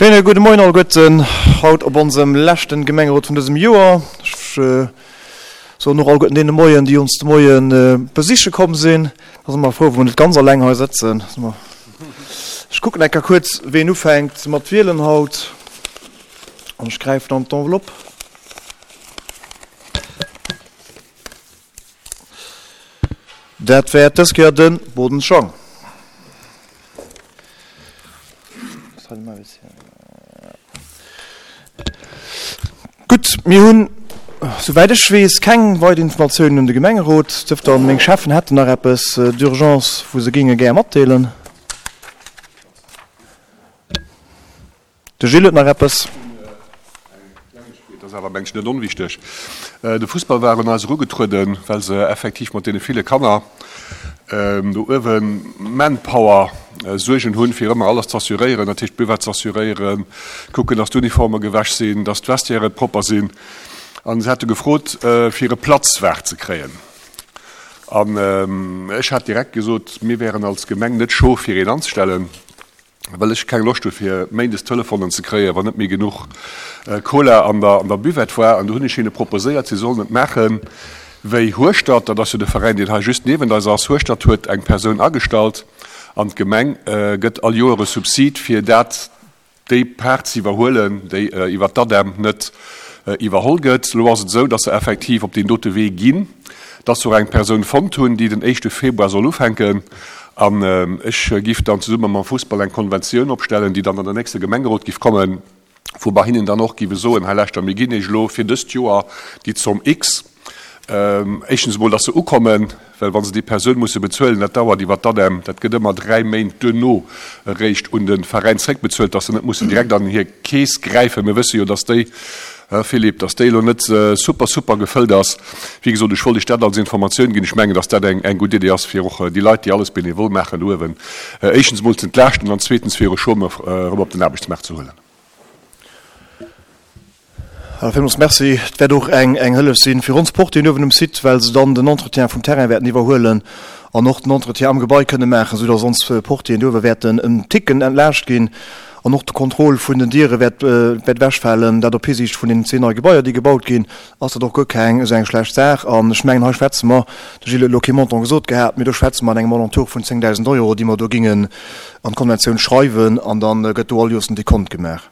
Schéine gudde Moien alleguerten haut op onsem leschten Gemengerot vun dësem Joer. Ech soen och alleguerten deene Moien, déi ons de Moie besiche komm sinn. Da si mer frou, wa mer net ganz alleng hei sëtzen. Ech kucken eng Kéier kuerz, ween ufänkt mat wielen haut. An ech gräifen an d'Enveloppe. Dat wäert dës Kéier de Boden Schong. Gutt, mir hunn, souwäit ech weess, keng weider Informatiounen un de Gemengerot. Sief dann, meng Cheffen hätten nach eppes d'urgence, wou se géinge gär matdeelen. De Gilles huet nach eppes. Eng Klengegkeet, ass awer, meng ech, net onwichteg. De Fussball war un eis erugetrueden, well se effektiv mat deene ville Kanner do uewe Manpower Suergen hunn, fir ëmmer alles ze assuréieren, dat heescht d'Buvette ze assuréieren, kucken, datt d'Uniforme gewäsch sinn, datt d'Vestiaire propper sinn. A se hate gefrot, fir e Platzwaart ze kréien. An ech hat direkt gesot, mir wären als Gemeng net scho fir een anzestellen. well ech keng Loscht hu fir méindes Telefonen ze kréien, wann net méi genuch Cola an der an der Buvette war. An do hunn ech hinne proposéiert, si sollen et maache wéi Hueschtert, dat ass jo de Veräin, deen hei just niewent eis ass. Hueschtert huet eng Persoun agestallt an d'Gemeng gëtt all Joer e Subsid fir dat déi Part ze iwwerhuelen, déi iwwert d'ADEM net iwwerholl gëtt. Elo ass et esou, dass se effektiv op deen dote Wee ginn, dass se och eng Persoun fonnt hunn, déi den éischte Februar soll ufänken. An ech giff dann zesumme mam Fussball eng Konventioun opstellen, déi dann an den nächste Gemengerot giff kommen, wou mer hinnen dann och giffe soen, hei lauschtert, mir ginn Iech elo fir dëst Joer déi Zomm X. Éischtens emol, dass se ukommen, well wa se déi Persoun musse bezuelen, dat dauert iwwert d'ADEM, dat gëtt ëmmer 3 Méint duerno eréischt un de Veräin zréckbezuelt, dass se net mussen direkt an hir Keess gräifen. Mir wësse jo, dass déi, Här Philippe, dass déi elo net super, super gefëllt ass. Wéi gesot, ech wollt Iech dat als Informatioun ginn. Ech mengen, dass dat eng gutt Idee ass, fir och déi Leit, déi alles benevol maachen do uewen, éischtens emol ze entlaaschten an zweetens fir e Chômeur erëm op den Aarbechtsmaart ze huelen. Villmools Merci. Et wäert och eng Hëllef sinn fir ons Portieren uewen um Site, well se dann den Entretien vum Terrain wäerten iwwerhuelen an och den Entretien am Gebai kënne maachen, soudass ons Portieren do uewe wäerten en Ticken entlaascht ginn an och de Contrôle vun den Diere wäert ewechfalen. Dat op Hisiicht vun deenen zwee nei Gebaier, déi gebaut ginn, ass dat och guer keng esou eng schlecht Saach. An ech mengen, hei schwätze mer, de Gilles huet elo kee Montant gesot gehat, mee do schwätze mer an engem Alentour vun 10.000 Euro, déi mer do gingen an d'Konventioun schreiwen an da gëtt do all Joers en Dekont gemaach.